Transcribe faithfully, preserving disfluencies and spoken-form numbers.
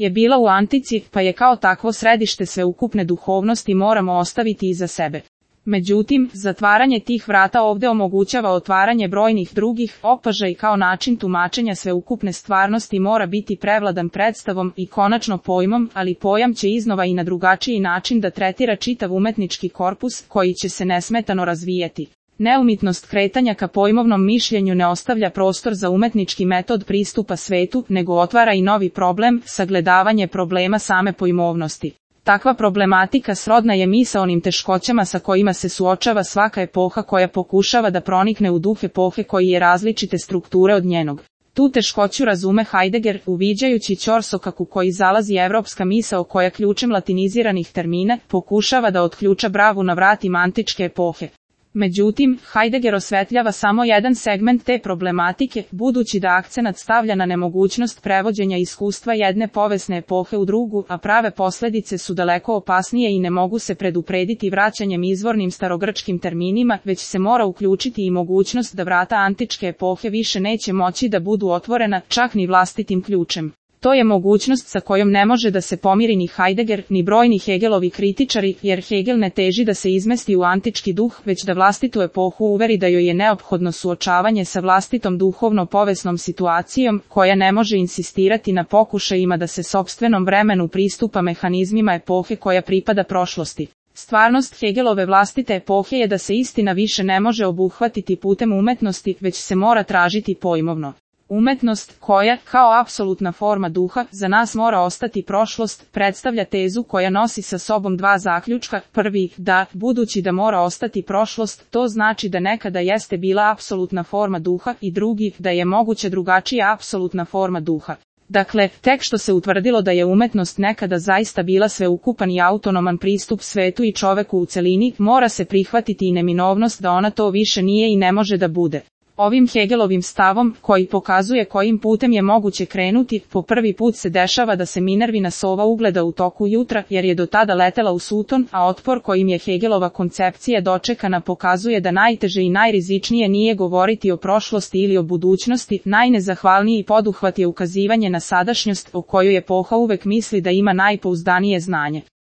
je bila u antici, pa je kao takvo središte sveukupne duhovnosti moramo ostaviti iza sebe. Međutim, zatvaranje tih vrata ovde omogućava otvaranje brojnih drugih, opažaj kao način tumačenja sveukupne stvarnosti mora biti prevladan predstavom i konačno pojmom, ali pojam će iznova i na drugačiji način da tretira čitav umetnički korpus, koji će se nesmetano razvijeti. Neumitnost kretanja ka pojmovnom mišljenju ne ostavlja prostor za umetnički metod pristupa svetu, nego otvara i novi problem, sagledavanje problema same pojmovnosti. Takva problematika srodna je misaonim teškoćama sa kojima se suočava svaka epoha koja pokušava da pronikne u duh epohe koji je različite strukture od njenog. Tu teškoću razume Heidegger, uviđajući ćorsokaku koji zalazi evropska misao koja ključem latiniziranih termina pokušava da otključa bravu na vratima antičke epohe. Međutim, Heidegger osvetljava samo jedan segment te problematike, budući da akcenat stavlja na nemogućnost prevođenja iskustva jedne povesne epohe u drugu, a prave posledice su daleko opasnije i ne mogu se preduprediti vraćanjem izvornim starogrčkim terminima, već se mora uključiti i mogućnost da vrata antičke epohe više neće moći da budu otvorena, čak ni vlastitim ključem. To je mogućnost sa kojom ne može da se pomiri ni Heidegger, ni brojni Hegelovi kritičari, jer Hegel ne teži da se izmesti u antički duh, već da vlastitu epohu uveri da joj je neophodno suočavanje sa vlastitom duhovno-povesnom situacijom, koja ne može insistirati na pokušajima da se sopstvenom vremenu pristupa mehanizmima epohe koja pripada prošlosti. Stvarnost Hegelove vlastite epohe je da se istina više ne može obuhvatiti putem umetnosti, već se mora tražiti pojmovno. Umetnost, koja, kao apsolutna forma duha, za nas mora ostati prošlost, predstavlja tezu koja nosi sa sobom dva zaključka. Prvi, da, budući da mora ostati prošlost, to znači da nekada jeste bila apsolutna forma duha, i drugi, da je moguće drugačija apsolutna forma duha. Dakle, tek što se utvrdilo da je umetnost nekada zaista bila sveukupan i autonoman pristup svetu i čoveku u celini, mora se prihvatiti i neminovnost da ona to više nije i ne može da bude. Ovim Hegelovim stavom, koji pokazuje kojim putem je moguće krenuti, po prvi put se dešava da se Minervina sova ugleda u toku jutra, jer je do tada letela u Suton, a otpor kojim je Hegelova koncepcija dočekana pokazuje da najteže i najrizičnije nije govoriti o prošlosti ili o budućnosti, najnezahvalniji poduhvat je ukazivanje na sadašnjost, o kojoj epoha uvek misli da ima najpouzdanije znanje.